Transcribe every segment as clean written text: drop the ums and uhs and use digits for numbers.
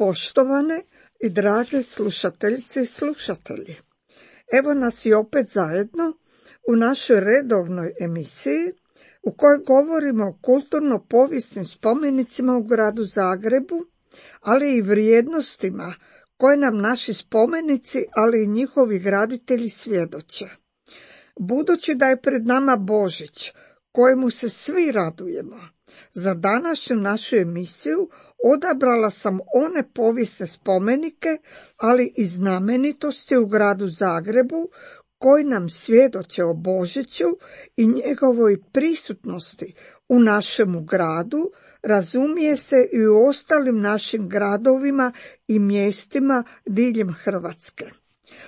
Poštovane i drage slušateljice i slušatelji, evo nas i opet zajedno u našoj redovnoj emisiji u kojoj govorimo o kulturno-povijesnim spomenicima u gradu Zagrebu, ali i vrijednostima koje nam naši spomenici, ali i njihovi graditelji svjedoče. Budući da je pred nama Božić, kojemu se svi radujemo, za današnju našu emisiju odabrala sam one povijesne spomenike, ali i znamenitosti u gradu Zagrebu koji nam svjedoče o Božiću i njegovoj prisutnosti u našemu gradu, razumije se i u ostalim našim gradovima i mjestima diljem Hrvatske.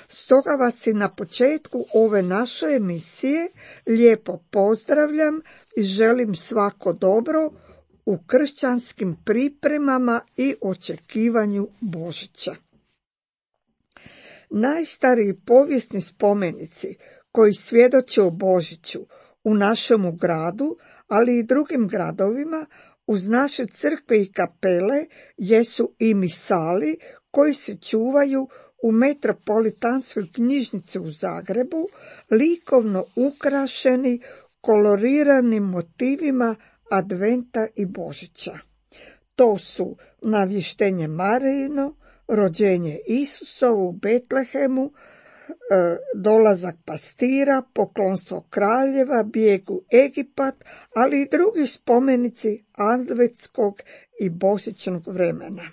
Stoga vas i na početku ove naše emisije lijepo pozdravljam i želim svako dobro u kršćanskim pripremama i očekivanju Božića. Najstariji povijesni spomenici koji svjedoče o Božiću u našemu gradu, ali i drugim gradovima, uz naše crkve i kapele jesu i misali koji se čuvaju u Metropolitanskoj knjižnici u Zagrebu, likovno ukrašeni koloriranim motivima Adventa i Božića. To su Navještenje Marijino, Rođenje Isusovo u Betlehemu, Dolazak pastira, Poklonstvo kraljeva, Bijeg u Egipat, ali i drugi spomenici adventskog i božićnog vremena.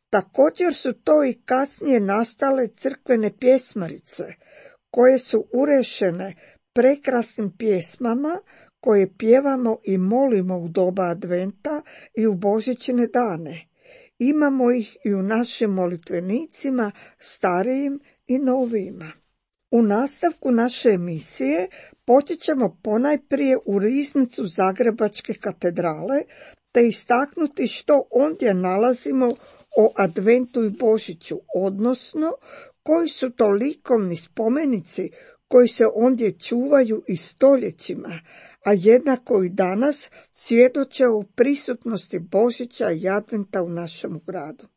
Također su to i kasnije nastale crkvene pjesmarice, koje su urešene prekrasnim pjesmama koje pjevamo i molimo u doba Adventa i u božićne dane. Imamo ih i u našim molitvenicima, starijim i novijima. U nastavku naše emisije počet ćemo ponajprije u riznicu Zagrebačke katedrale, te istaknuti što ondje nalazimo o Adventu i Božiću, odnosno koji su to likovni spomenici koji se ondje čuvaju i stoljećima, a jednako i danas svjedoče o prisutnosti Božića i Adventa u našem gradu.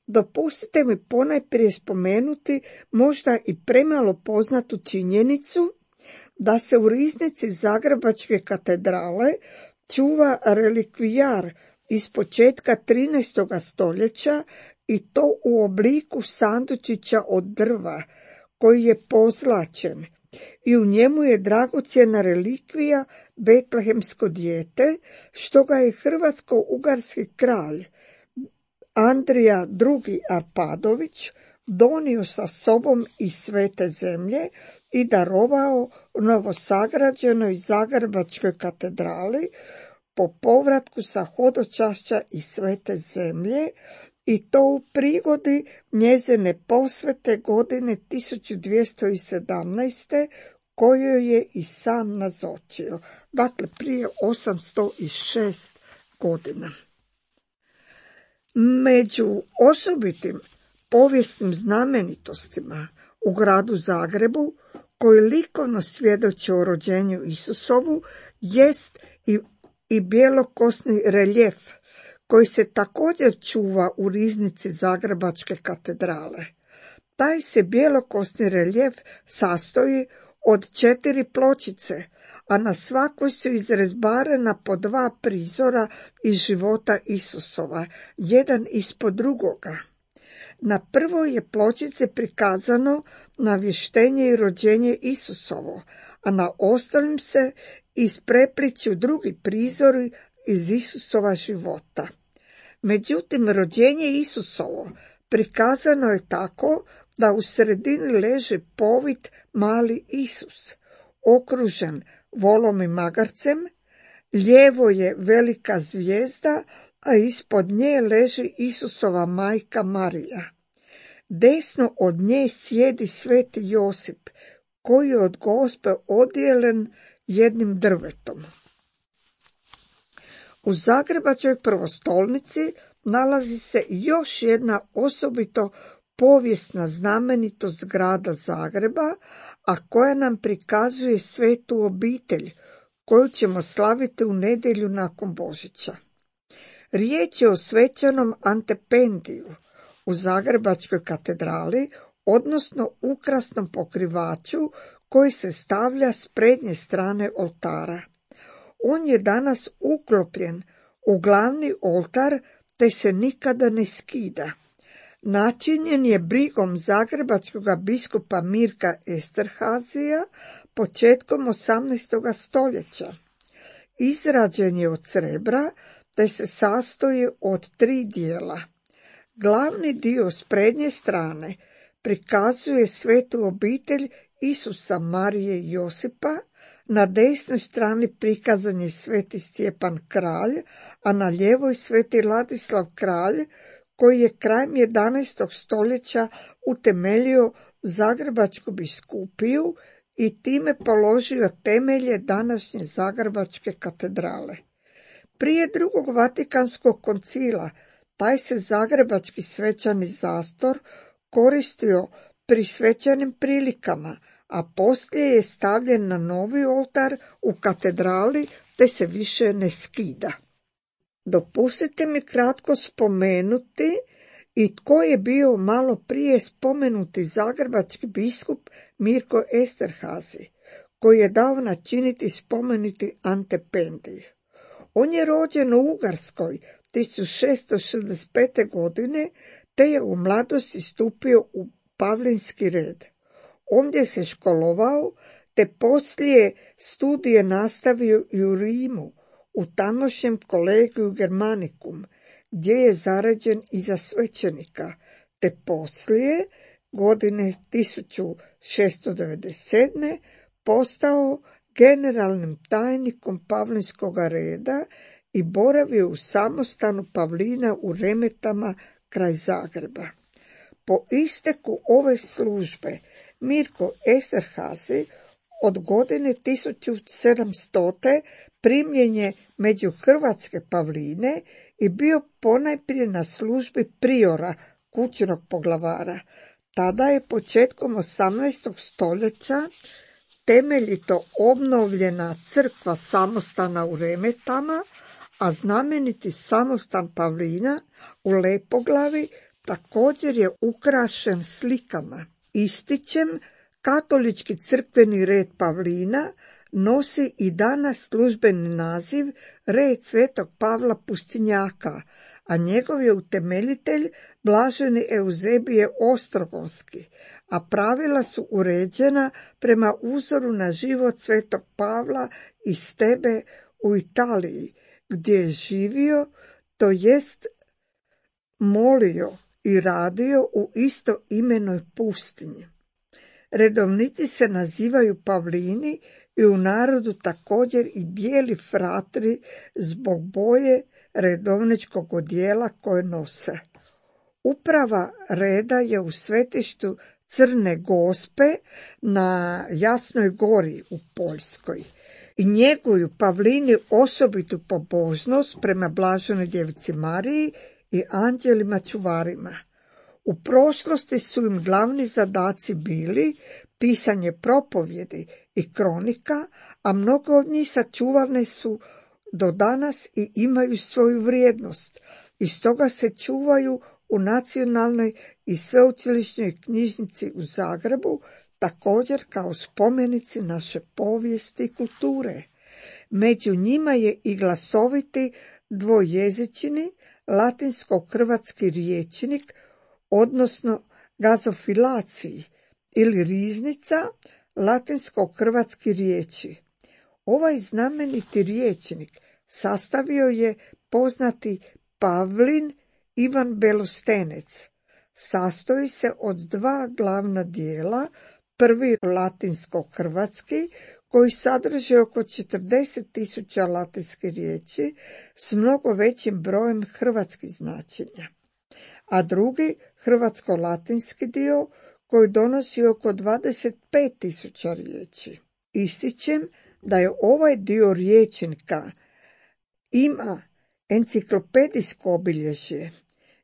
Dopustite mi ponajprije spomenuti možda i premalo poznatu činjenicu da se u riznici Zagrebačke katedrale čuva relikvijar iz početka 13. stoljeća i to u obliku sandučića od drva koji je pozlačen i u njemu je dragocjena relikvija betlehemsko dijete, što ga je hrvatsko-ugarski kralj Andrija II. Arpadović donio sa sobom iz Svete zemlje i darovao novosagrađenoj Zagrebačkoj katedrali po povratku sa hodočašća iz Svete zemlje, i to u prigodi njezine posvete godine 1217. koju je i sam nazočio, dakle prije 806 godina. Među osobitim povijesnim znamenitostima u gradu Zagrebu koji likovno svjedoče o rođenju Isusovu jest i bjelokosni reljef koji se također čuva u riznici Zagrebačke katedrale. Taj se bjelokosni reljef sastoji od 4 pločice, a na svakoj su izrezbarena po 2 prizora iz života Isusova, jedan ispod drugoga. Na prvoj je pločici prikazano navještenje i rođenje Isusovo, a na ostalim se isprepliću drugi prizori iz Isusova života. Međutim, rođenje Isusovo prikazano je tako da u sredini leži povit mali Isus, okružen volom i magarcem, lijevo je velika zvijezda, a ispod nje leži Isusova majka Marija. Desno od nje sjedi sveti Josip, koji je od Gospe odjelen jednim drvetom. U Zagrebačkoj prvostolnici nalazi se još jedna osobito povijesna znamenitost grada Zagreba, a koja nam prikazuje svetu obitelj, koju ćemo slaviti u nedjelju nakon Božića. Riječ je o svećenom Antependiju u Zagrebačkoj katedrali, odnosno ukrasnom pokrivaču koji se stavlja s prednje strane oltara. On je danas uklopljen u glavni oltar te se nikada ne skida. Načinjen je brigom zagrebačkog biskupa Mirka Esterhazija početkom 18. stoljeća. Izrađen je od srebra te se sastoji od 3 dijela. Glavni dio s prednje strane prikazuje svetu obitelj Isusa, Marije i Josipa, na desnoj strani prikazan je sveti Stjepan kralj, a na lijevoj sveti Ladislav kralj, koji je krajem 11. stoljeća utemeljio Zagrebačku biskupiju i time položio temelje današnje Zagrebačke katedrale. Prije drugog Vatikanskog koncila taj se zagrebački svečani zastor koristio pri svečanim prilikama, a poslije je stavljen na novi oltar u katedrali te se više ne skida. Dopustite mi kratko spomenuti i tko je bio malo prije spomenuti zagrebački biskup Mirko Esterhazy, koji je dao načiniti spomenuti Antependij. On je rođen u Ugarskoj 1665. godine, te je u mladosti stupio u Pavlinski red. Ondje se školovao, te poslije studije nastavio i u Rimu, u tamošnjem Collegium Germanicum, gdje je zaređen i za svećenika, te poslije, godine 1697. postao generalnim tajnikom Pavlinskog reda i boravio u samostanu Pavlina u Remetama kraj Zagreba. Po isteku ove službe Mirko Esterhazy od godine 1700. primljen je među hrvatske Pavline i bio ponajprije na službi priora, kućnog poglavara. Tada je početkom 18. stoljeća temeljito obnovljena crkva samostana u Remetama, a znameniti samostan Pavlina u Lepoglavi također je ukrašen slikama. Ističem, katolički crkveni red Pavlina nosi i danas službeni naziv red Svetog Pavla Pustinjaka, a njegov je utemeljitelj blaženi Euzebije Ostrogonski, a pravila su uređena prema uzoru na život Svetog Pavla iz Stebe u Italiji, gdje je živio, to jest molio i radio u istoimenoj pustinji. Redovnici se nazivaju Pavlini i u narodu također i bijeli fratri zbog boje redovničkog odijela koje nose. Uprava reda je u svetištu Crne Gospe na Jasnoj gori u Poljskoj i njeguju Pavlini osobitu pobožnost prema blaženoj djevici Mariji i anđelima čuvarima. U prošlosti su im glavni zadaci bili pisanje propovjedi i kronika, a mnogo od njih sačuvane su do danas i imaju svoju vrijednost, i stoga se čuvaju u Nacionalnoj i sveučilišnoj knjižnici u Zagrebu, također kao spomenici naše povijesti i kulture. Među njima je i glasoviti dvojezični latinsko-hrvatski rječnik, odnosno gazofilaciji ili riznica latinsko-hrvatski riječi. Ovaj znameniti rječnik sastavio je poznati Pavlin Ivan Belostenec. Sastoji se od 2 glavna dijela, prvi latinsko-hrvatski, koji sadrži oko 40.000 latinskih riječi s mnogo većim brojem hrvatskih značenja, a drugi hrvatsko-latinski dio koji donosi oko 25.000 riječi. Ističem da je ovaj dio rječnika ima enciklopedijsko obilježje,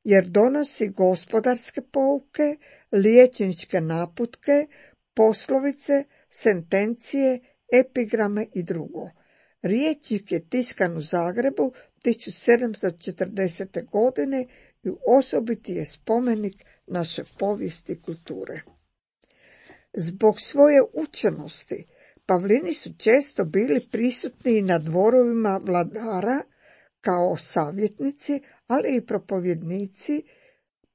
jer donosi gospodarske pouke, liječničke naputke, poslovice, sentencije, epigrame i drugo. Rječnik je tiskan u Zagrebu 1740. godine i osobiti je spomenik naše povijesti i kulture. Zbog svoje učenosti Pavlini su često bili prisutni na dvorovima vladara kao savjetnici, ali i propovjednici,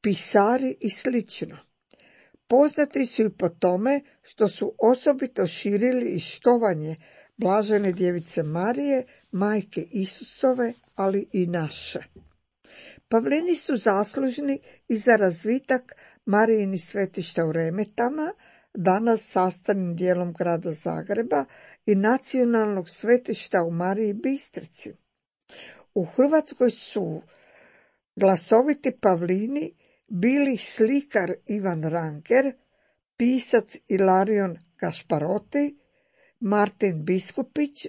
pisari i sl. Poznati su i po tome što su osobito širili i štovanje Blažene djevice Marije, majke Isusove, ali i naše. Pavlini su zaslužni i za razvitak Marijinih svetišta u Remetama, danas sastavnim dijelom grada Zagreba, i nacionalnog svetišta u Mariji Bistrici. U Hrvatskoj su glasoviti Pavlini bili slikar Ivan Ranger, pisac Ilarion Gašparoti, Martin Biskupić,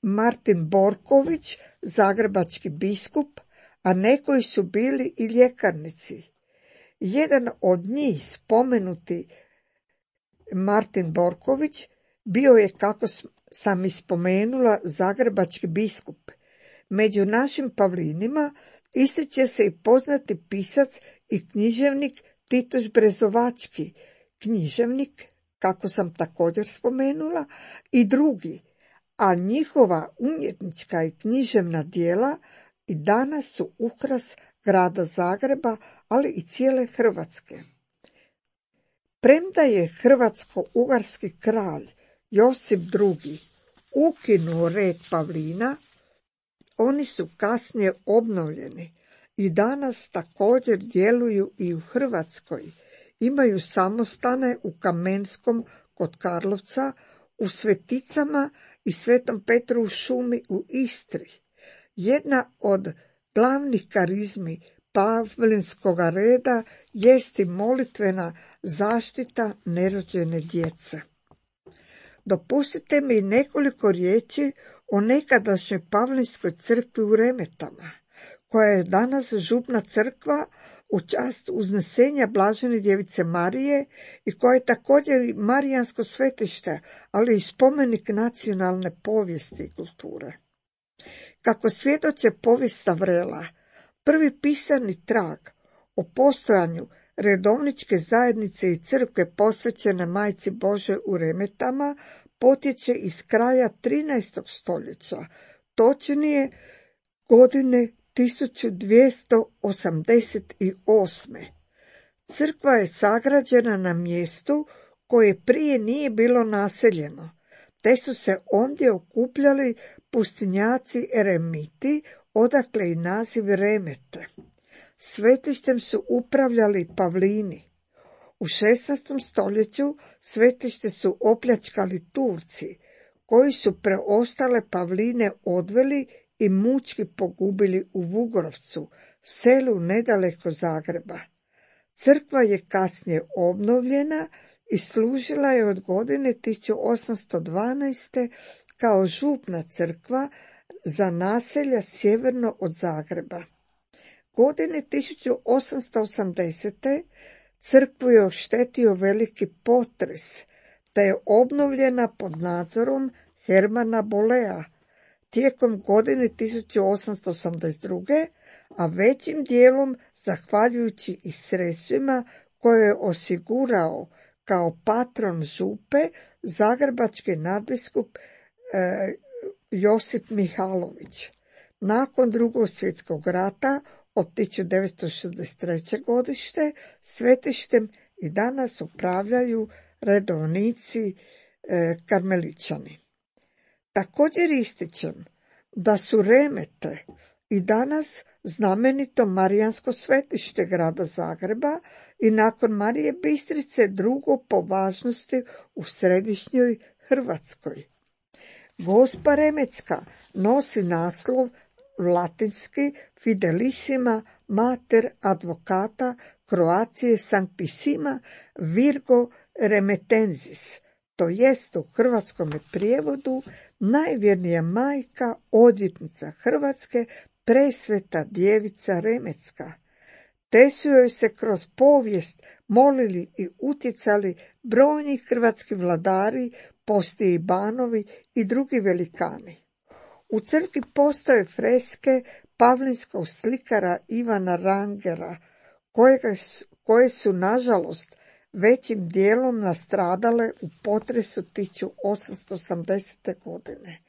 Martin Borković, zagrebački biskup, a nekoji su bili i ljekarnici. Jedan od njih, spomenuti Martin Borković, bio je, kako sam ispomenula, zagrebački biskup. Među našim Pavlinima ističe se i poznati pisac i književnik Titoš Brezovački, književnik, kako sam također spomenula, i drugi, a njihova umjetnička i književna djela i danas su ukras grada Zagreba, ali i cijele Hrvatske. Premda je hrvatsko-ugarski kralj Josip II. Ukinuo red Pavlina, oni su kasnije obnovljeni i danas također djeluju i u Hrvatskoj. Imaju samostane u Kamenskom kod Karlovca, u Sveticama i Svetom Petru u Šumi u Istri. Jedna od glavnih karizmi Pavlinskog reda jest i molitvena zaštita nerođene djece. Dopustite mi nekoliko riječi o nekadašnjoj Pavlinskoj crkvi u Remetama, koja je danas župna crkva u čast uznesenja Blažene djevice Marije i koja je također i marijansko svetište, ali i spomenik nacionalne povijesti i kulture. Kako svjedoče povijest Vrela, prvi pisani trag o postojanju redovničke zajednice i crkve posvećene Majci Božoj u Remetama potječe iz kraja 13. stoljeća, točnije godine 1288. Crkva je sagrađena na mjestu koje prije nije bilo naseljeno, te su se ondje okupljali pustinjaci eremiti, odakle i naziv Remete. Svetištem su upravljali Pavlini. U 16. stoljeću svetište su opljačkali Turci, koji su preostale Pavline odveli i mučki pogubili u Vugorovcu, selu nedaleko Zagreba. Crkva je kasnije obnovljena i služila je od godine 1812. kao župna crkva za naselja sjeverno od Zagreba. Godine 1880. crkvu je oštetio veliki potres, te je obnovljena pod nadzorom Hermana Bolea tijekom godine 1882. a većim dijelom zahvaljujući i sredstvima koje je osigurao kao patron župe zagrebački nadbiskup Josip Mihalović. Nakon Drugog svjetskog rata od 1963. godište svetištem i danas upravljaju redovnici karmeličani. Također ističem da su Remete i danas znamenito marijansko svetište grada Zagreba i nakon Marije Bistrice drugo po važnosti u središnjoj Hrvatskoj. Gospa Remetska nosi naslov latinski Fidelissima Mater Advocata Croatiae Sanctissima Virgo Remetensis, to jest u hrvatskom prijevodu najvjernija majka, odvjetnica Hrvatske, presveta djevica Remetska. Te su joj se kroz povijest molili i utjecali brojni hrvatski vladari, poslije i banovi i drugi velikani. U crkvi postoje freske pavlinskog slikara Ivana Rangera, koje su nažalost većim dijelom nastradale u potresu 1880. godine.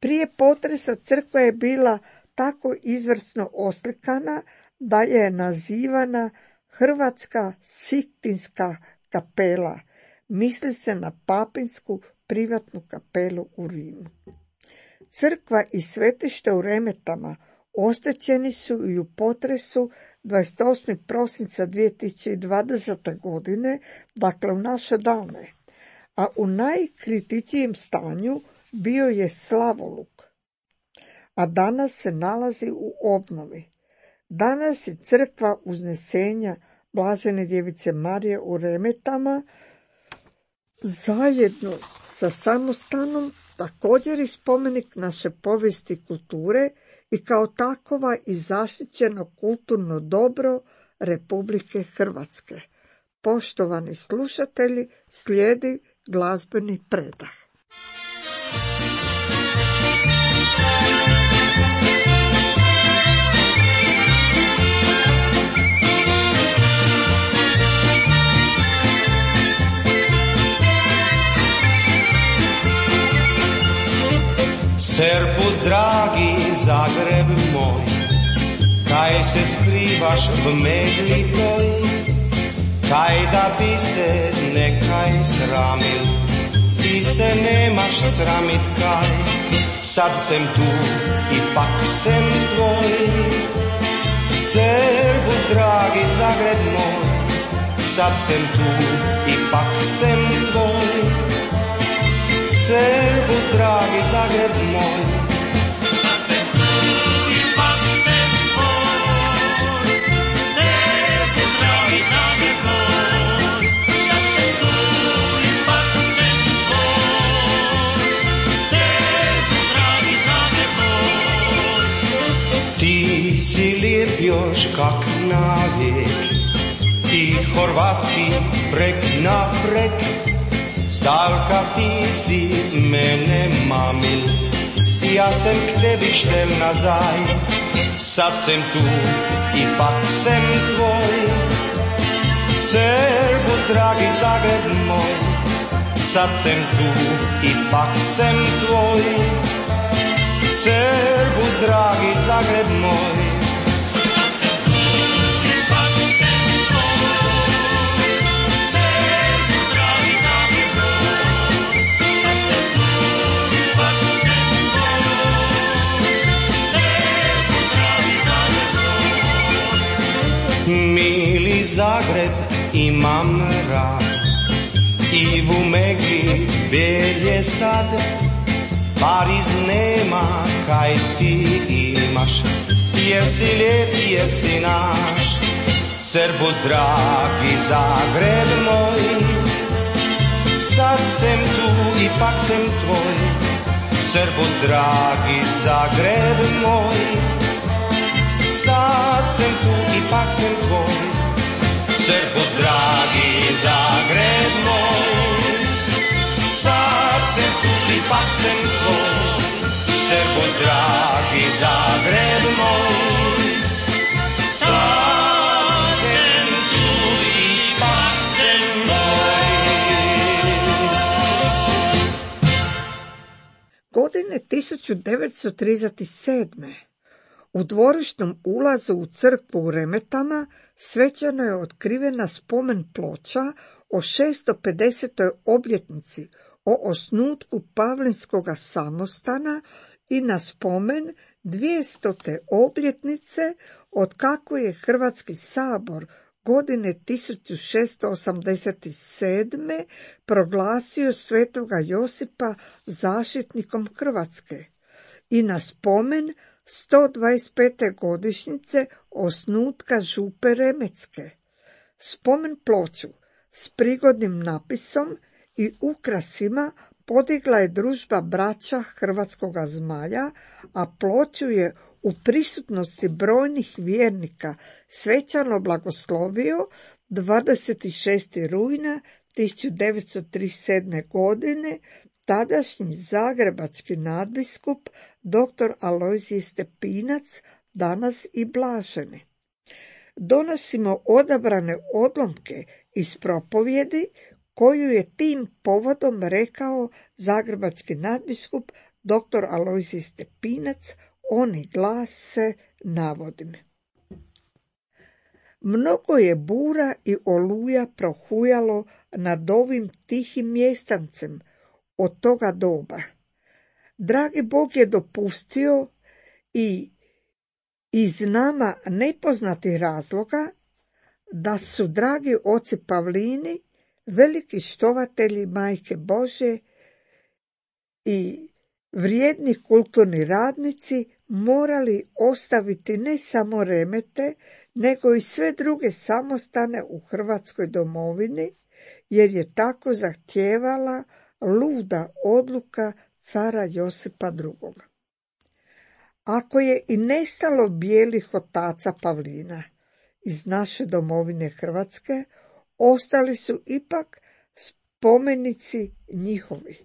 Prije potresa crkva je bila tako izvrsno oslikana da je nazivana Hrvatska Sixtinska kapela. Misli se na papinsku privatnu kapelu u Rimu. Crkva i svetište u Remetama oštećeni su i u potresu 28. prosinca 2020. godine, dakle u naše dane, a u najkritičijem stanju bio je slavoluk, a danas se nalazi u obnovi. Danas je crkva Uznesenja Blažene djevice Marije u Remetama zajedno sa samostanom također i spomenik naše povijesti i kulture i kao takova i zaštićeno kulturno dobro Republike Hrvatske. Poštovani slušatelji, slijedi glazbeni predah. Servus, dragi Zagreb moj, kaj se skrivaš v megli toj, kaj da bi se nekaj sramil, ti se nemaš sramit kaj, sad sem tu, ipak sem tvoj. Servus, dragi Zagreb moj, sad sem tu, ipak sem tvoj. Servus, dragi Zagreb moj, sad sem tu, ipak sem tvoj. Servus, dragi Zagreb moj, sad sem tu, ipak sem tvoj. Servus, dragi Zagreb moj. Ti si lijep još kak navijek, ti horvatski prek na prek, zdalka ti si mene mamil, ja sem k tebi štel nazaj, sad sem tu, ipak sem tvoj. Servus, dragi Zagreb moj, sad sem tu, ipak sem tvoj. Servus, dragi Zagreb moj, sad sem tu, ipak sem tvoj. Servus, dragi Zagreb moj, sad sem tu, ipak sem tvoj. Servus, dragi Zagreb moj. Mili Zagreb, imam rad, i v megli bel je sad, Pariz nema kaj ti imaš, jer si lijep, jer si naš. Servus, dragi Zagreb moj, sad sem tu, ipak sem tvoj. Servus, dragi Zagreb moj, sad sem tu, ipak sem tvoj. Servus, dragi Zagreb moj, sad sem tu, ipak sem tvoj. Servus, dragi Zagreb moj, sad sem tu, ipak sem tvoj. Godine 1937. u dvorišnom ulazu u crkvu u Remetama svečano je otkrivena spomen ploča o 650. obljetnici o osnutku Pavlinskoga samostana i na spomen 200. obljetnice od kako je Hrvatski sabor godine 1687. proglasio svetoga Josipa zaštitnikom Hrvatske i na spomen 125. godišnjice osnutka župe Remetske. Spomen ploču s prigodnim napisom i ukrasima podigla je družba braća Hrvatskoga Zmaja, a ploču je u prisutnosti brojnih vjernika svečano blagoslovio 26. rujna 1937. godine tadašnji zagrebački nadbiskup dr. Alojzije Stepinac, danas i blaženi. Donosimo odabrane odlomke iz propovjedi koju je tim povodom rekao zagrebački nadbiskup dr. Alojzije Stepinac, oni glase, navodim. Mnogo je bura i oluja prohujalo nad ovim tihim mjestancem od toga doba. Dragi Bog je dopustio i iz nama nepoznatih razloga da su dragi oci Pavlini, veliki štovatelji Majke Božje i vrijedni kulturni radnici, morali ostaviti ne samo remete, nego i sve druge samostane u Hrvatskoj domovini, jer je tako zahtijevala luda odluka cara Josipa II. Ako je i nestalo bijelih otaca Pavlina iz naše domovine Hrvatske, ostali su ipak spomenici njihovi.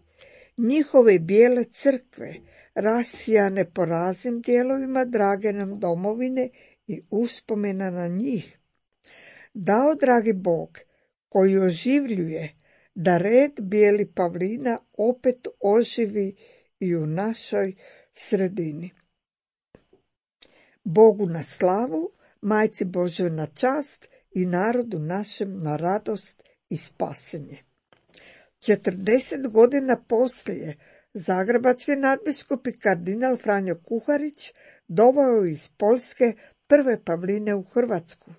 Njihove bijele crkve, rasijane po raznim dijelovima drage nam domovine i uspomena na njih. Dao dragi Bog, koji oživljuje, da red bijeli Pavlina opet oživi i u našoj sredini. Bogu na slavu, Majci Božoj na čast i narodu našem na radost i spasenje. 40 godina poslije zagrebački nadbiskup i kardinal Franjo Kuharić doveo iz Poljske prve Pavline u Hrvatsku,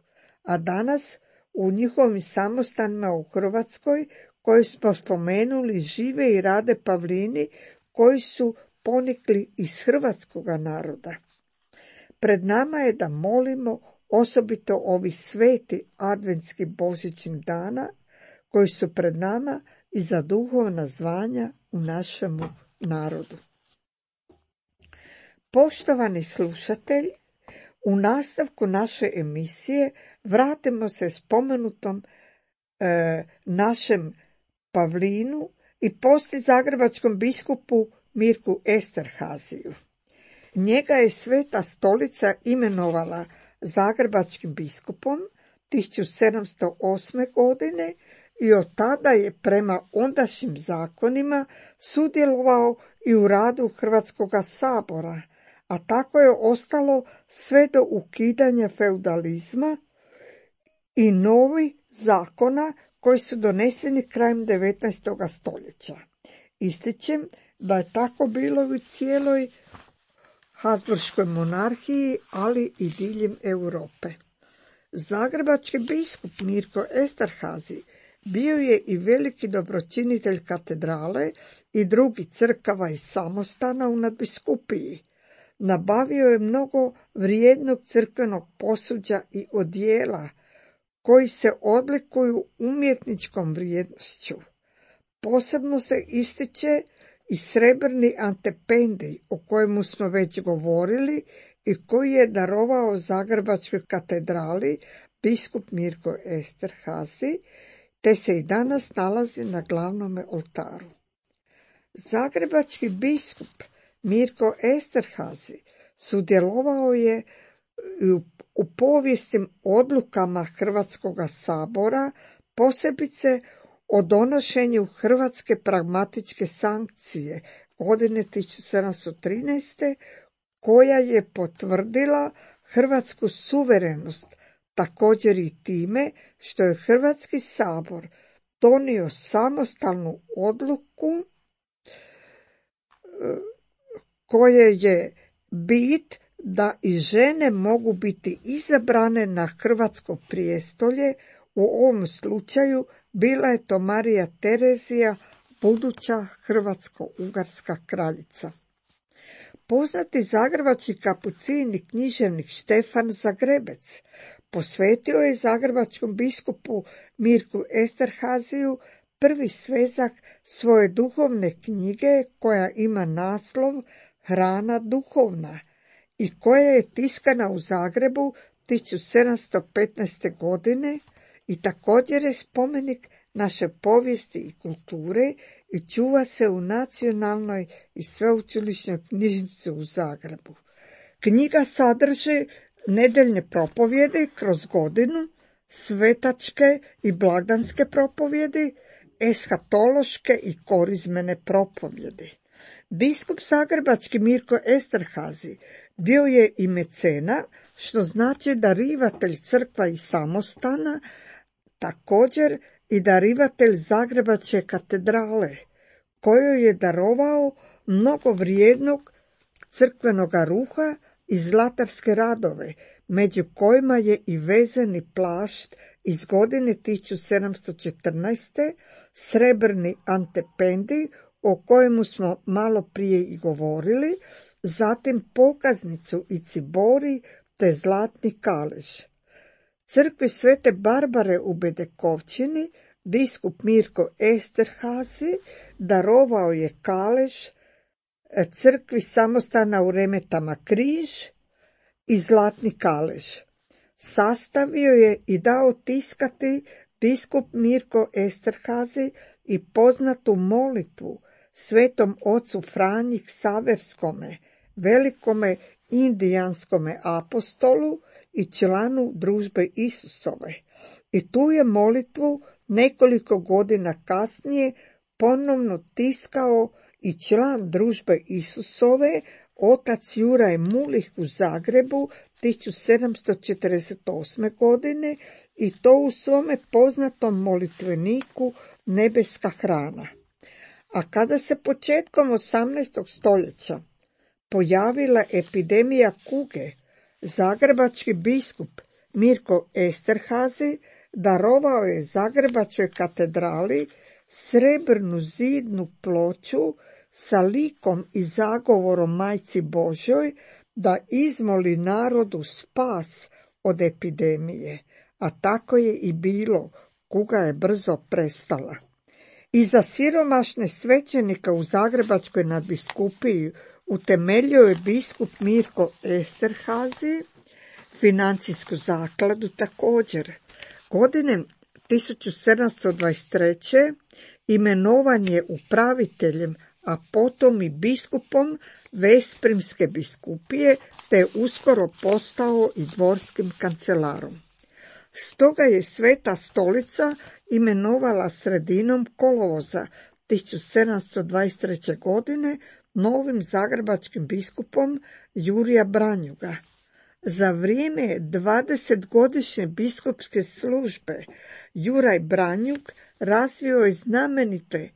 a danas u njihovim samostanima u Hrvatskoj, koji smo spomenuli, žive i rade Pavlini koji su ponikli iz hrvatskoga naroda. Pred nama je da molimo osobito ovi sveti adventski božićnih dana koji su pred nama i za duhovna zvanja u našemu narodu. Poštovani slušatelji, u nastavku naše emisije vratimo se spomenutom našem Pavlinu i poslije zagrebačkom biskupu Mirku Esterhaziju. Njega je Sveta Stolica imenovala zagrebačkim biskupom 1708. godine i od tada je prema ondašnjim zakonima sudjelovao i u radu Hrvatskoga sabora, a tako je ostalo sve do ukidanja feudalizma i novi zakona koji su doneseni krajem 19. stoljeća. Ističem da je tako bilo u cijeloj Habsburškoj monarhiji, ali i diljem Europe. Zagrebački biskup Mirko Esterhazy bio je i veliki dobročinitelj katedrale i drugih crkava i samostana u nadbiskupiji. Nabavio je mnogo vrijednog crkvenog posuđa i odijela, koji se odlikuju umjetničkom vrijednošću. Posebno se ističe i srebrni antependij, o kojemu smo već govorili i koji je darovao Zagrebačkoj katedrali biskup Mirko Esterhazy, te se i danas nalazi na glavnome oltaru. Zagrebački biskup Mirko Esterhazy sudjelovao je u povijesnim odlukama Hrvatskoga sabora, posebice o donošenju Hrvatske pragmatičke sankcije godine 1713. koja je potvrdila hrvatsku suverenost, također i time što je Hrvatski sabor donio samostalnu odluku koje je bit da i žene mogu biti izabrane na hrvatsko prijestolje. U ovom slučaju bila je to Marija Terezija, buduća hrvatsko-ugarska kraljica. Poznati zagrebački kapucin i književnik Štefan Zagrebec posvetio je zagrebačkom biskupu Mirku Esterhazyju prvi svezak svoje duhovne knjige koja ima naslov Hrana duhovna i koja je tiskana u Zagrebu 1715. godine i također je spomenik naše povijesti i kulture i čuva se u Nacionalnoj i sveučilišnoj knjižnici u Zagrebu. Knjiga sadrži nedeljne propovjedi kroz godinu, svetačke i blagdanske propovjedi, eshatološke i korizmene propovjedi. Biskup zagrebački Mirko Esterhazy bio je i mecena, što znači darivatelj crkva i samostana, također i darivatelj Zagrebačke katedrale, kojoj je darovao mnogo vrijednog crkvenog ruha i zlatarske radove, među kojima je i vezeni plašt iz godine 1714. srebrni antependij, o kojemu smo malo prije i govorili, zatim pokaznicu i cibori te zlatni kalež. Crkvi Svete Barbare u Bedekovčini biskup Mirko Esterhazy darovao je kalež, crkvi samostana u Remetama križ i zlatni kalež. Sastavio je i dao tiskati biskup Mirko Esterhazy i poznatu molitvu Svetom ocu Franji Ksaverskome, velikome indijanskome apostolu i članu družbe Isusove. I tu je molitvu nekoliko godina kasnije ponovno tiskao i član družbe Isusove, otac Juraj Mulih u Zagrebu 1748. godine i to u svome poznatom molitveniku Nebeska hrana. A kada se početkom 18. stoljeća pojavila epidemija kuge, zagrebački biskup Mirko Esterhazy darovao je Zagrebačkoj katedrali srebrnu zidnu ploču sa likom i zagovorom Majci Božjoj da izmoli narodu spas od epidemije, a tako je i bilo, kuga je brzo prestala. I za siromašne svećenike u Zagrebačkoj nadbiskupiji utemeljio je biskup Mirko Esterhazy financijsku zakladu također. Godine 1723. imenovan je upraviteljem, a potom i biskupom Veszprimske biskupije, te je uskoro postao i dvorskim kancelarom. Stoga je Sveta stolica imenovala sredinom kolovoza 1723. godine novim zagrebačkim biskupom Jurija Branjuga. Za vrijeme 20-godišnje biskupske službe Juraj Branjuk razvio je znamenite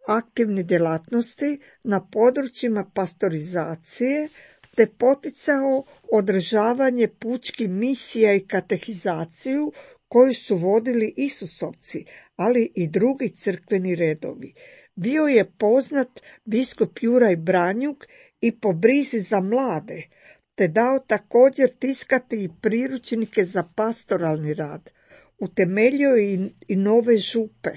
aktivne djelatnosti na područjima pastorizacije te poticao održavanje pučkih misija i katehizaciju koju su vodili Isusovci, ali i drugi crkveni redovi. Bio je poznat biskup Juraj Branjuk i po brizi za mlade, te dao također tiskati i priručnike za pastoralni rad. Utemeljio je i nove župe.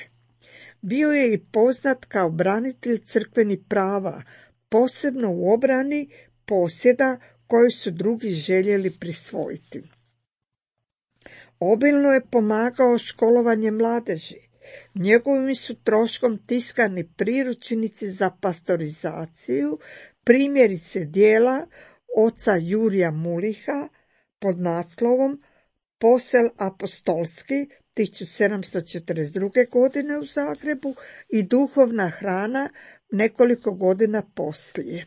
Bio je i poznat kao branitelj crkvenih prava, posebno u obrani posjeda koje su drugi željeli prisvojiti. Obilno je pomagao školovanje mladeži. Njegovim su troškom tiskani priručnici za pastorizaciju, primjerice dijela oca Jurija Muliha pod naslovom Posel apostolski 1742. godine u Zagrebu i duhovna hrana nekoliko godina poslije.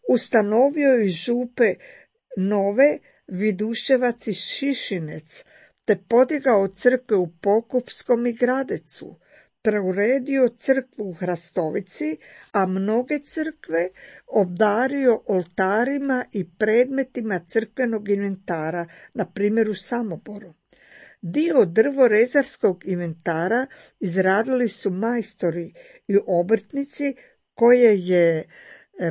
Ustanovio je župe nove Viduševac i Šišinec, te podigao crkve u Pokupskom i Gradecu, preuredio crkvu u Hrastovici, a mnoge crkve obdario oltarima i predmetima crkvenog inventara, na primjer u Samoboru. Dio drvorezarskog inventara izradili su majstori i obrtnici koje je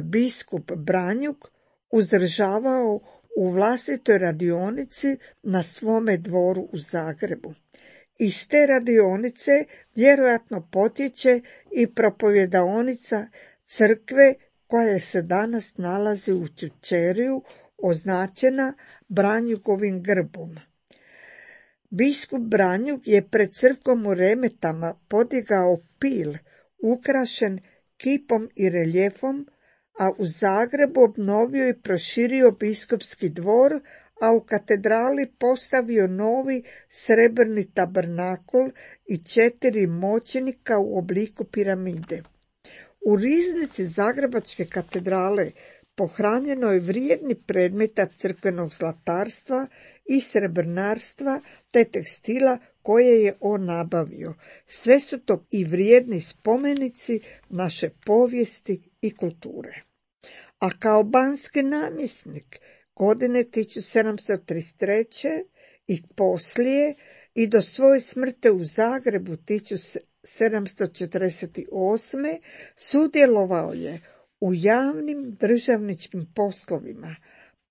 biskup Branjuk uzdržavao u vlastitoj radionici na svome dvoru u Zagrebu. Iz te radionice vjerojatno potječe i propovjedaonica crkve koja se danas nalazi u Čučeriju, označena Branjukovim grbom. Biskup Branjuk je pred crkvom u Remetama podigao pil ukrašen kipom i reljefom, a u Zagrebu obnovio i proširio biskupski dvor, a u katedrali postavio novi srebrni tabernakul i 4 moćenika u obliku piramide. U riznici Zagrebačke katedrale pohranjeno je vrijedni predmeta crkvenog zlatarstva i srebrnarstva te tekstila koje je on nabavio. Sve su to i vrijedni spomenici naše povijesti i kulture. A kao banski namjesnik godine 1733. i poslije i do svoje smrti u Zagrebu 1748. sudjelovao je u javnim državničkim poslovima,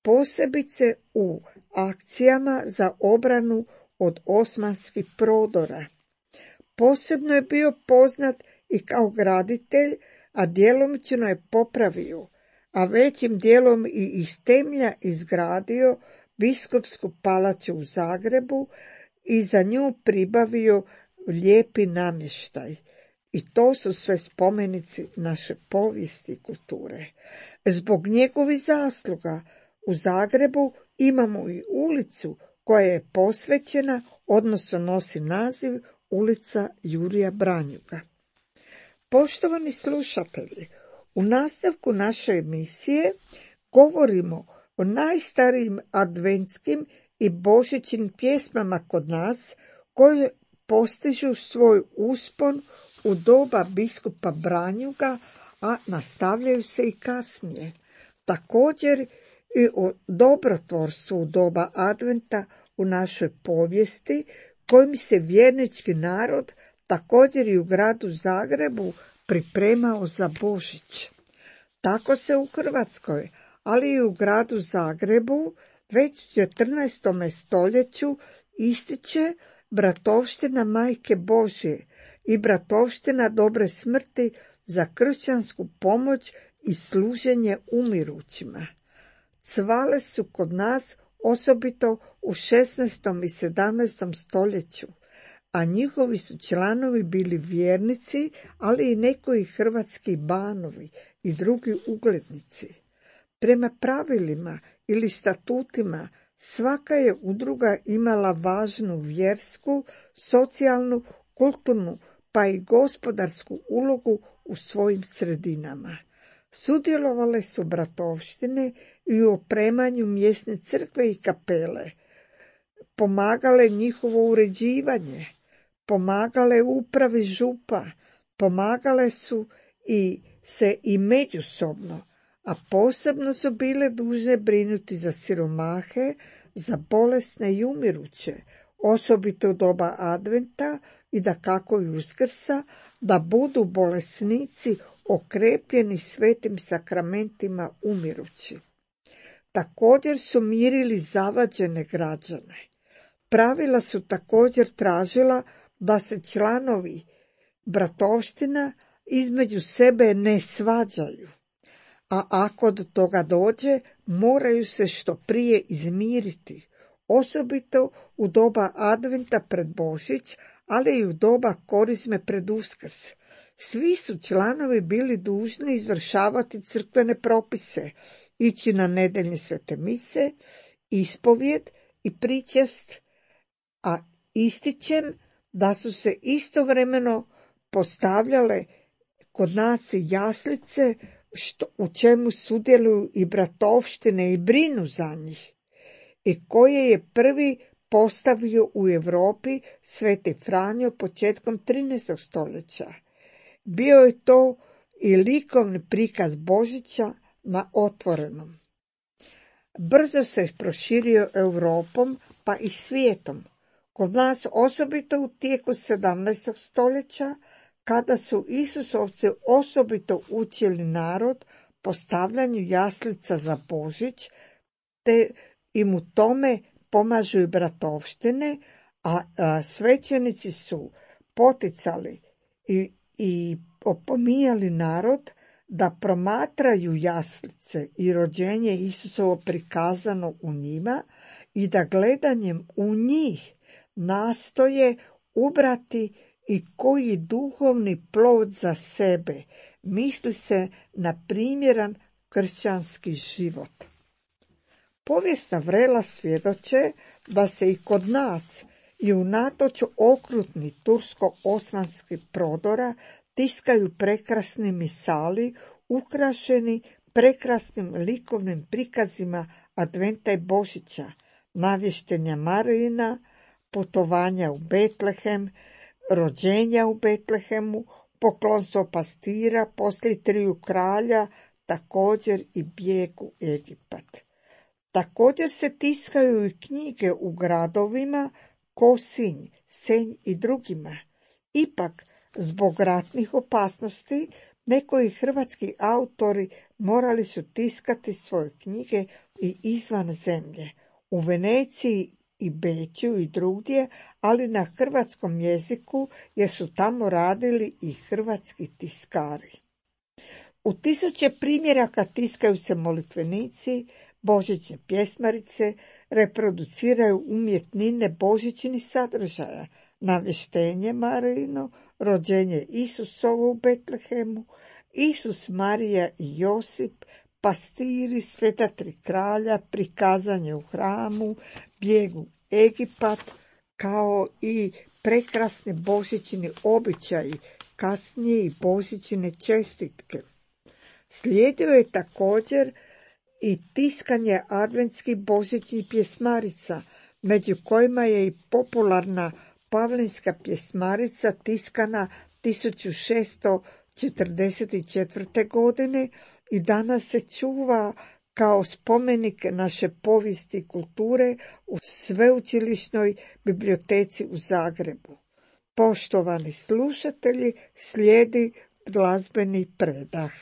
posebice u akcijama za obranu od osmanskih prodora. Posebno je bio poznat i kao graditelj, a djelomično je popravio, a većim dijelom i iz temelja izgradio biskupsku palaču u Zagrebu i za nju pribavio lijepi namještaj. I to su sve spomenici naše povijesti i kulture. Zbog njegovih zasluga u Zagrebu imamo i ulicu koja je posvećena, odnosno nosi naziv ulica Jurija Branjuga. Poštovani slušatelji, u nastavku naše emisije govorimo o najstarijim adventskim i božićnim pjesmama kod nas, koje postižu svoj uspon u doba biskupa Branjuga, a nastavljaju se i kasnije. Također i o dobrotvorstvu u doba adventa u našoj povijesti, kojim se vjernički narod također i u gradu Zagrebu pripremao za Božić. Tako se u Hrvatskoj, ali i u gradu Zagrebu već u 14. stoljeću ističe bratovština Majke Božje i bratovština dobre smrti za kršćansku pomoć i služenje umirućima. Cvale su kod nas osobito u 16. i 17. stoljeću, a njihovi su članovi bili vjernici, ali i nekoji hrvatski banovi i drugi uglednici. Prema pravilima ili statutima svaka je udruga imala važnu vjersku, socijalnu, kulturnu pa i gospodarsku ulogu u svojim sredinama. Sudjelovale su bratovštine i u opremanju mjesne crkve i kapele, pomagale njihovo uređivanje, pomagale upravi župa, pomagale su se i međusobno, a posebno su bile dužne brinuti za siromahe, za bolesne i umiruće, osobito u doba adventa i dakako i Uskrsa, da budu bolesnici okrepljeni svetim sakramentima umirući. Također su mirili zavađene građane. Pravila su također tražila da se članovi bratovština između sebe ne svađaju, a ako do toga dođe, moraju se što prije izmiriti, osobito u doba adventa pred Božić, ali i u doba korizme pred Uskrs. Svi su članovi bili dužni izvršavati crkvene propise, ići na nedeljne svete mise, ispovjed i pričest, a ističem da su se istovremeno postavljale kod nas i jaslice, u čemu sudjeluju i bratovštine i brinu za njih, i koje je prvi postavio u Europi Sveti Franjo početkom 13. stoljeća. Bio je to i likovni prikaz Božića na otvorenom. Brzo se proširio Europom pa i svijetom. Kod nas osobito u tijeku 17. stoljeća, kada su Isusovci osobito učili narod postavljanju jaslica za Božić, te im u tome pomažu i bratovštine, a svećenici su poticali i opominjali narod da promatraju jaslice i rođenje Isusovo prikazano u njima i da gledanjem u njih nastoje ubrati i koji duhovni plod za sebe, misli se na primjeran kršćanski život. Povijesna vrela svjedoče da se i kod nas i unatoč okrutnih tursko-osmanskih prodora tiskaju prekrasni misali ukrašeni prekrasnim likovnim prikazima Adventa i Božića, navještenja Marijina, putovanja u Betlehem, rođenja u Betlehemu, poklonstvo pastira, poslije triju kralja, također i bijeg u Egipat. Također se tiskaju i knjige u gradovima Kosinj, Senj i drugima. Ipak, zbog ratnih opasnosti, nekoji hrvatski autori morali su tiskati svoje knjige i izvan zemlje, u Veneciji i Beču i drugdje, ali na hrvatskom jeziku, jer su tamo radili i hrvatski tiskari. U tisuće primjeraka tiskaju se molitvenici, božićne pjesmarice, reproduciraju umjetnine božićnih sadržaja, navještenje Marijino, rođenje Isusovo u Betlehemu, Isus, Marija i Josip, pastiri, sveta tri kralja, prikazanje u hramu, bijeg u Egipat, kao i prekrasni božićni običaji, kasnije i božićne čestitke. Slijedio je također i tiskanje adventskih božićnih pjesmarica, među kojima je i popularna Pavlinska pjesmarica tiskana 1644. godine i danas se čuva kao spomenik naše povijesti i kulture u Sveučilišnoj biblioteci u Zagrebu. Poštovani slušatelji, slijedi glazbeni predah.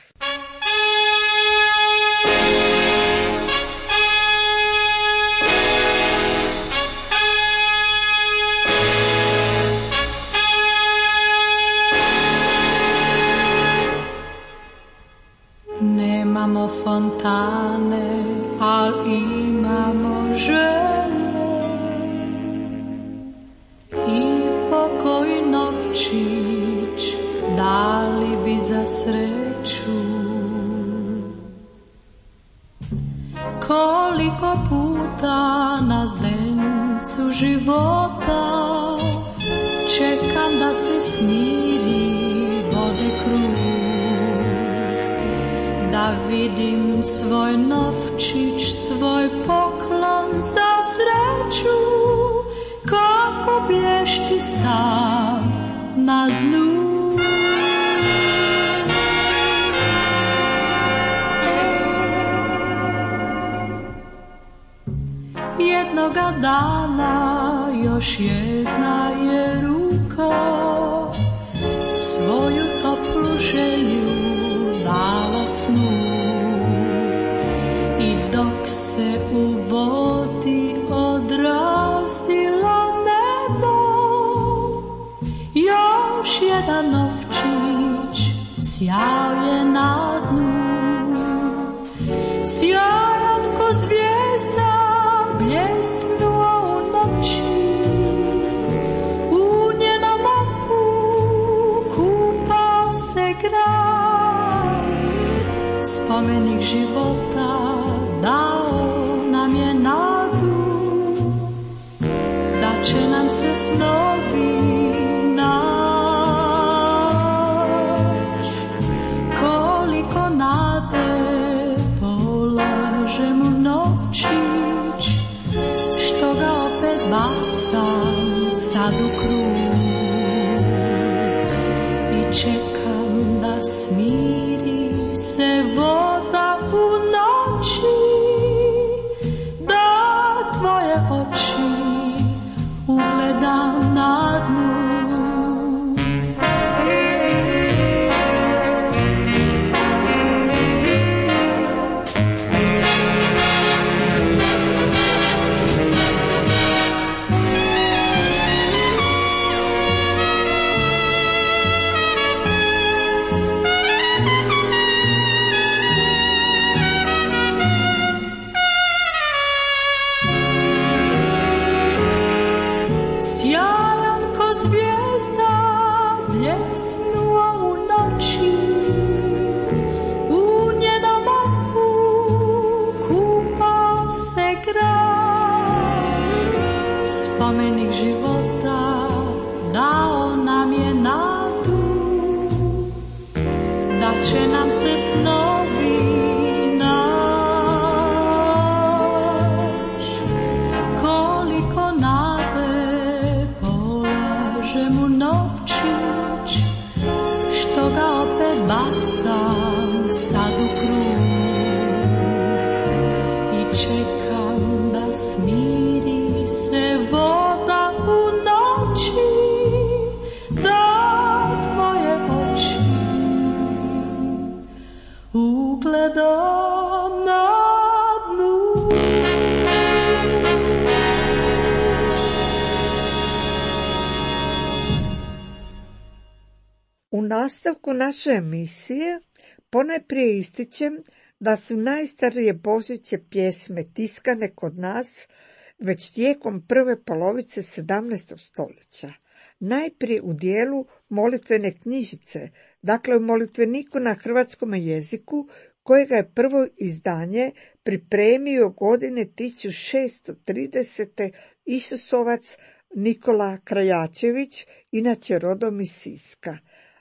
Nemamo fontane, al imamo želje i pokoj novčić dali bi za sreću. Koliko puta na zdencu života čekam da se smiri vode krug, da vidim svoj novčić, svoj poklon za sreću, kako blješti sam na dnu. Jednoga dana još jedna je ruka svoju toplu želju dala snu, i dok se u vodi odrazilo nebo, još jedan novčić sjao je na dnu. Sjajan ko zvijezda bljesnuo u noći, u njenom oku kupao se grad. Spomenik života dao nam je nadu, da će nam se snovi naći. Koliko nade polažem u novčić, što ga opet bacam sad u krug i čekam da smiri se voda u noći, da tvoje oči ugledam na dnu. nastavku naše emisije ponajprije ističem da su najstarije božićne pjesme tiskane kod nas već tijekom prve polovice 17. stoljeća. Najprije u dijelu molitvene knjižice, dakle u molitveniku na hrvatskom jeziku, kojega je prvo izdanje pripremio godine 1630. Isusovac Nikola Krajačević, inače rodom iz Siska.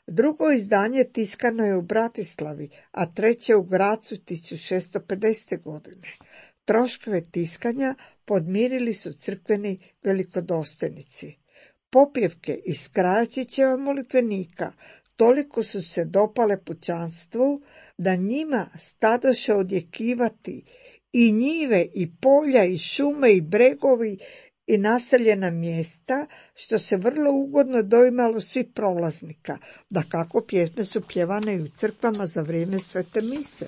Drugo izdanje tiskano je u Bratislavi, a treće u Gracu 1650. godine. Troškove tiskanja podmirili su crkveni velikodostojnici. Popjevke iz Krajačićeva molitvenika toliko su se dopale pučanstvu da njima stadoše odjekivati i njive i polja i šume i bregovi i naseljena mjesta, što se vrlo ugodno doimalo svih prolaznika. Dakako, pjesme su pjevane i u crkvama za vrijeme svete mise.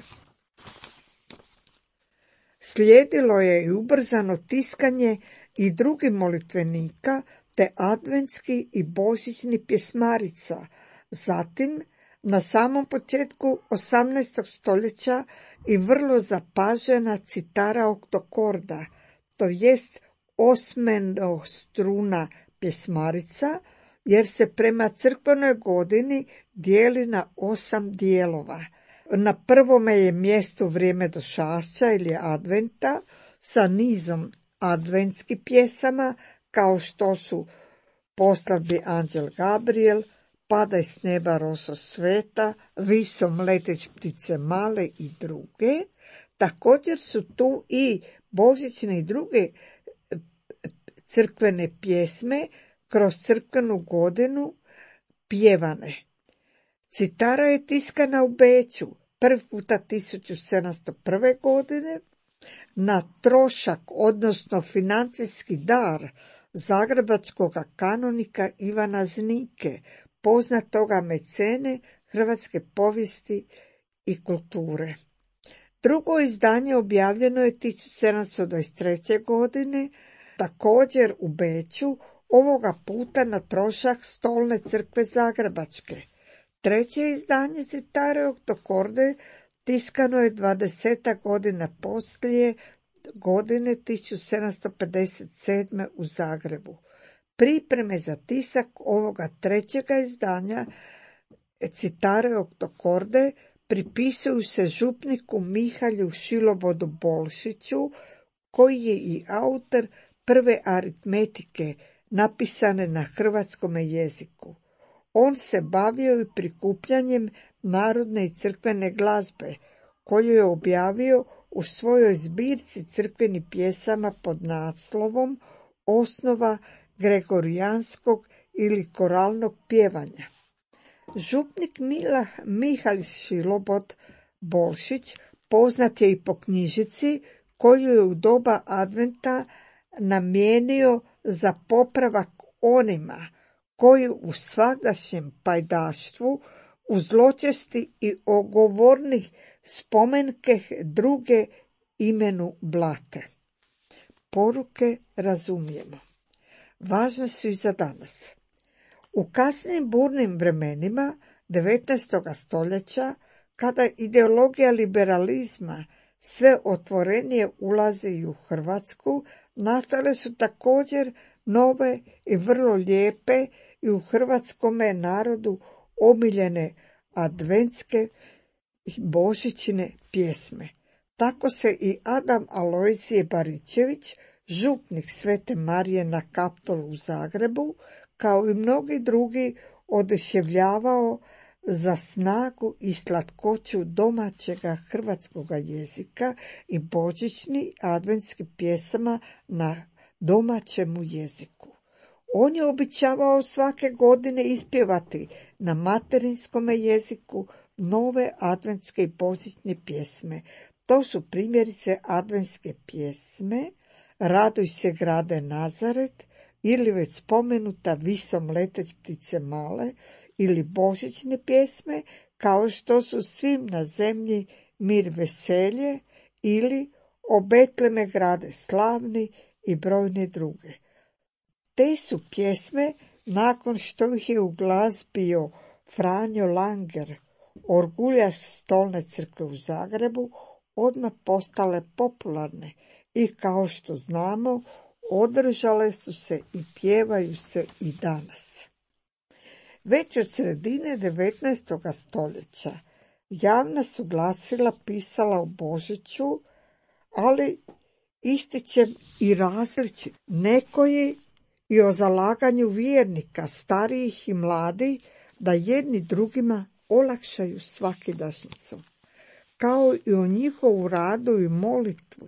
Slijedilo je i ubrzano tiskanje i drugih molitvenika, te adventski i božićni pjesmarica. Zatim, na samom početku 18. stoljeća i vrlo zapažena citara oktokorda, to jest osmenostruna pjesmarica, jer se prema crkvenoj godini dijeli na 8 dijelova. Na prvome je mjesto vrijeme došašća ili adventa sa nizom adventskih pjesama, kao što su Poslavbi anđel Gabriel, Padaj s neba roso sveta, Visom leteć ptice male i druge. Također su tu i božićne i druge crkvene pjesme kroz crkvenu godinu pjevane. Citara je tiskana u Beču prvi puta 1701. godine na trošak, odnosno financijski dar zagrebačkog kanonika Ivana Znike, poznatoga mecene hrvatske povijesti i kulture. Drugo izdanje objavljeno je 1723. godine, također u Beču, ovoga puta na trošak Stolne crkve zagrebačke. Treće izdanje citare oktokorde tiskano je 20 godina poslije, godine 1757. u Zagrebu. Pripreme za tisak ovoga trećega izdanja citare oktokorde pripisuju se župniku Mihalju Šilobodu Bolšiću, koji je i autor prve aritmetike napisane na hrvatskom jeziku. On se bavio i prikupljanjem narodne i crkvene glazbe, koju je objavio u svojoj zbirci crkvenih pjesama pod naslovom Osnova gregorijanskog ili koralnog pjevanja. Župnik Mihalj Šilobod Bolšić poznat je i po knjižici koju je u doba adventa namijenio za popravak onima koji u svagdašnjem pajdaštvu u zločesti i ogovornih spomenke druge imenu blate. Poruke razumijemo. Važne su i za danas. U kasnim burnim vremenima 19. stoljeća, kada ideologija liberalizma sve otvorenije ulazi i u Hrvatsku, nastale su također nove i vrlo lijepe i u hrvatskome narodu omiljene adventske i božićne pjesme. Tako se i Adam Alojzije Baričević, župnik Svete Marije na Kaptolu u Zagrebu, kao i mnogi drugi, oduševljavao za snagu i slatkoću domaćega hrvatskoga jezika i božićni adventski pjesama na domaćemu jeziku. On je običavao svake godine ispjevati na materinskome jeziku nove adventske i božićne pjesme. To su primjerice adventske pjesme Raduj se grade Nazaret, ili već spomenuta Visom leteć ptice male, ili božićne pjesme kao što su Svim na zemlji mir veselje, ili O Betleme grade slavni i brojne druge. Te su pjesme, nakon što ih je uglazbio Franjo Langer, orguljaš stolne crkve u Zagrebu, odmah postale popularne i kao što znamo održale su se i pjevaju se i danas. Već od sredine 19. stoljeća javna su glasila pisala o Božiću, ali ističem i različit. Nekoji i o zalaganju vjernika, starijih i mladih, da jedni drugima olakšaju svakidašnjicu, kao i o njihovu radu i molitvu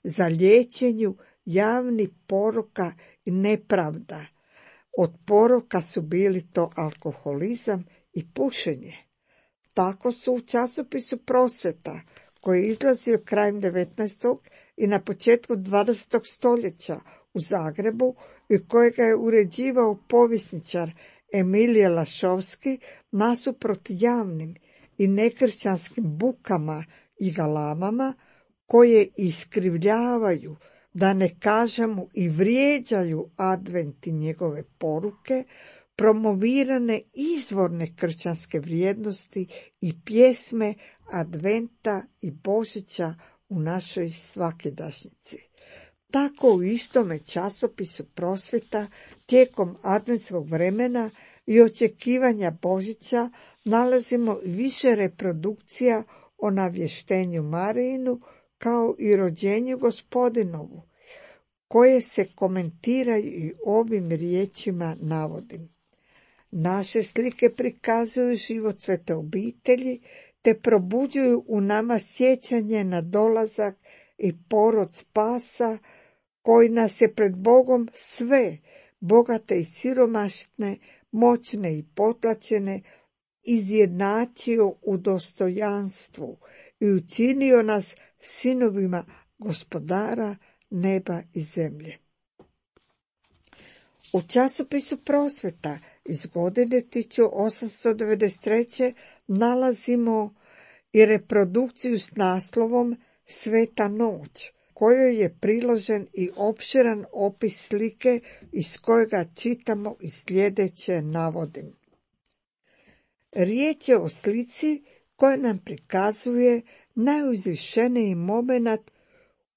za liječenju javnih poroka i nepravda. Od poroka su bili to alkoholizam i pušenje. Tako su u časopisu Prosveta, koji je izlazio krajem 19. i na početku 20. stoljeća u Zagrebu i kojega je uređivao povjesničar Emilije Lašovski, nasuprot javnim i nekršćanskim bukama i galamama koje iskrivljavaju, da ne kažemo i vrijeđaju advent i njegove poruke, promovirane izvorne kršćanske vrijednosti i pjesme adventa i Božića u našoj svakidašnjici. Tako u istome časopisu Prosveta tijekom adventskog vremena i očekivanja Božića nalazimo više reprodukcija o navještenju Marijinu kao i rođenju Gospodinovu, koje se komentiraju i ovim riječima navodim. Naše slike prikazuju život svete obitelji, te probuđuju u nama sjećanje na dolazak i porod spasa, koji nas je pred Bogom sve, bogate i siromašne, moćne i potlačene, izjednačio u dostojanstvu i učinio nas sinovima Gospodara neba i zemlje. U časopisu Prosveta iz godine 1893. nalazimo i reprodukciju s naslovom Sveta noć, kojoj je priložen i opširan opis slike iz kojega čitamo i sljedeće navodim. Riječ je o slici koja nam prikazuje najuzvišeniji moment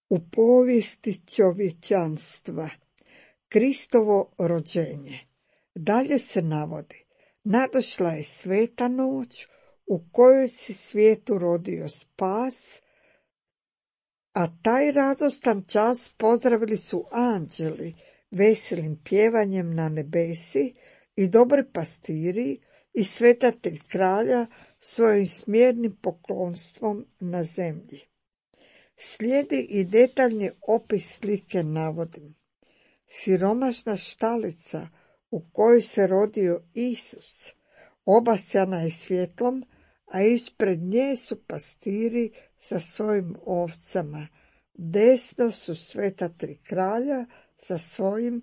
u povijesti čovječanstva, Kristovo rođenje. Dalje se navodi, nadošla je sveta noć u kojoj se svijetu rodio spas, a taj radostan čas pozdravili su anđeli veselim pjevanjem na nebesi i dobri pastiri i sveta tri kralja svojim smjernim poklonstvom na zemlji. Slijedi i detaljni opis slike navodim. Siromašna štalica u kojoj se rodio Isus obasjana je svjetlom, a ispred nje su pastiri sa svojim ovcama. Desno su sveta tri kralja sa svojim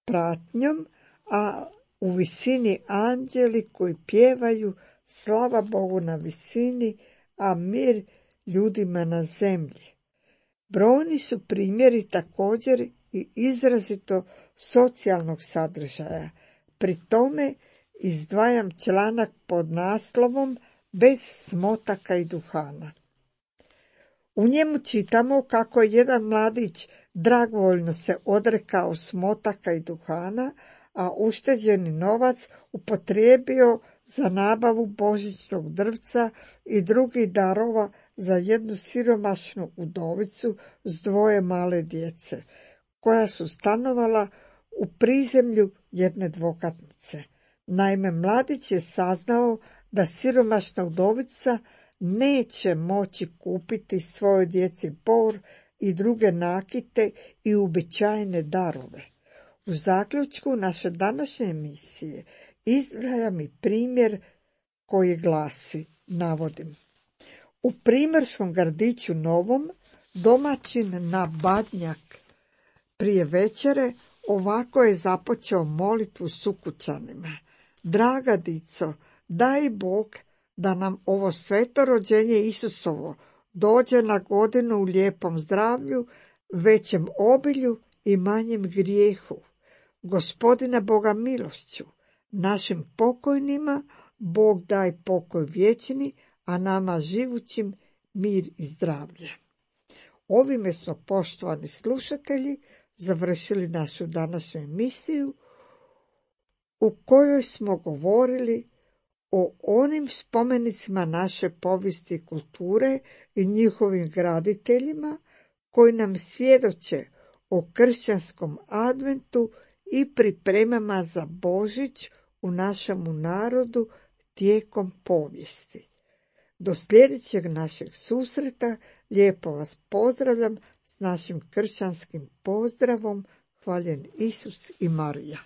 pratnjom, a u visini anđeli koji pjevaju slava Bogu na visini, a mir ljudima na zemlji. Brojni su primjeri također i izrazito socijalnog sadržaja. Pri tome izdvajam članak pod naslovom Bez smotaka i duhana. U njemu čitamo kako je jedan mladić dragovoljno se odrekao smotaka i duhana, a ušteđeni novac upotrijebio za nabavu božićnog drvca i drugih darova za jednu siromašnu udovicu s dvoje male djece, koja su stanovala u prizemlju jedne dvokatnice. Naime, mladić je saznao da siromašna udovica neće moći kupiti svojoj djeci bor i druge nakite i uobičajene darove. U zaključku naše današnje emisije izdvajam i primjer koji glasi, navodim. U primorskom gradiću Novom domaćin na Badnjak prije večere ovako je započeo molitvu s ukućanima. Draga dico, daj Bog da nam ovo sveto rođenje Isusovo dođe na godinu u lijepom zdravlju, većem obilju i manjem grijehu. Gospodina Boga milošću, našim pokojnima Bog daj pokoj vječni, a nama živućim mir i zdravlje. Ovime smo, poštovani slušatelji, završili našu današnju emisiju u kojoj smo govorili o onim spomenicima naše povijesti i kulture i njihovim graditeljima koji nam svjedoče o kršćanskom adventu i pripremama za Božić u našemu narodu tijekom povijesti. Do sljedećeg našeg susreta lijepo vas pozdravljam s našim kršćanskim pozdravom. Hvaljen Isus i Marija.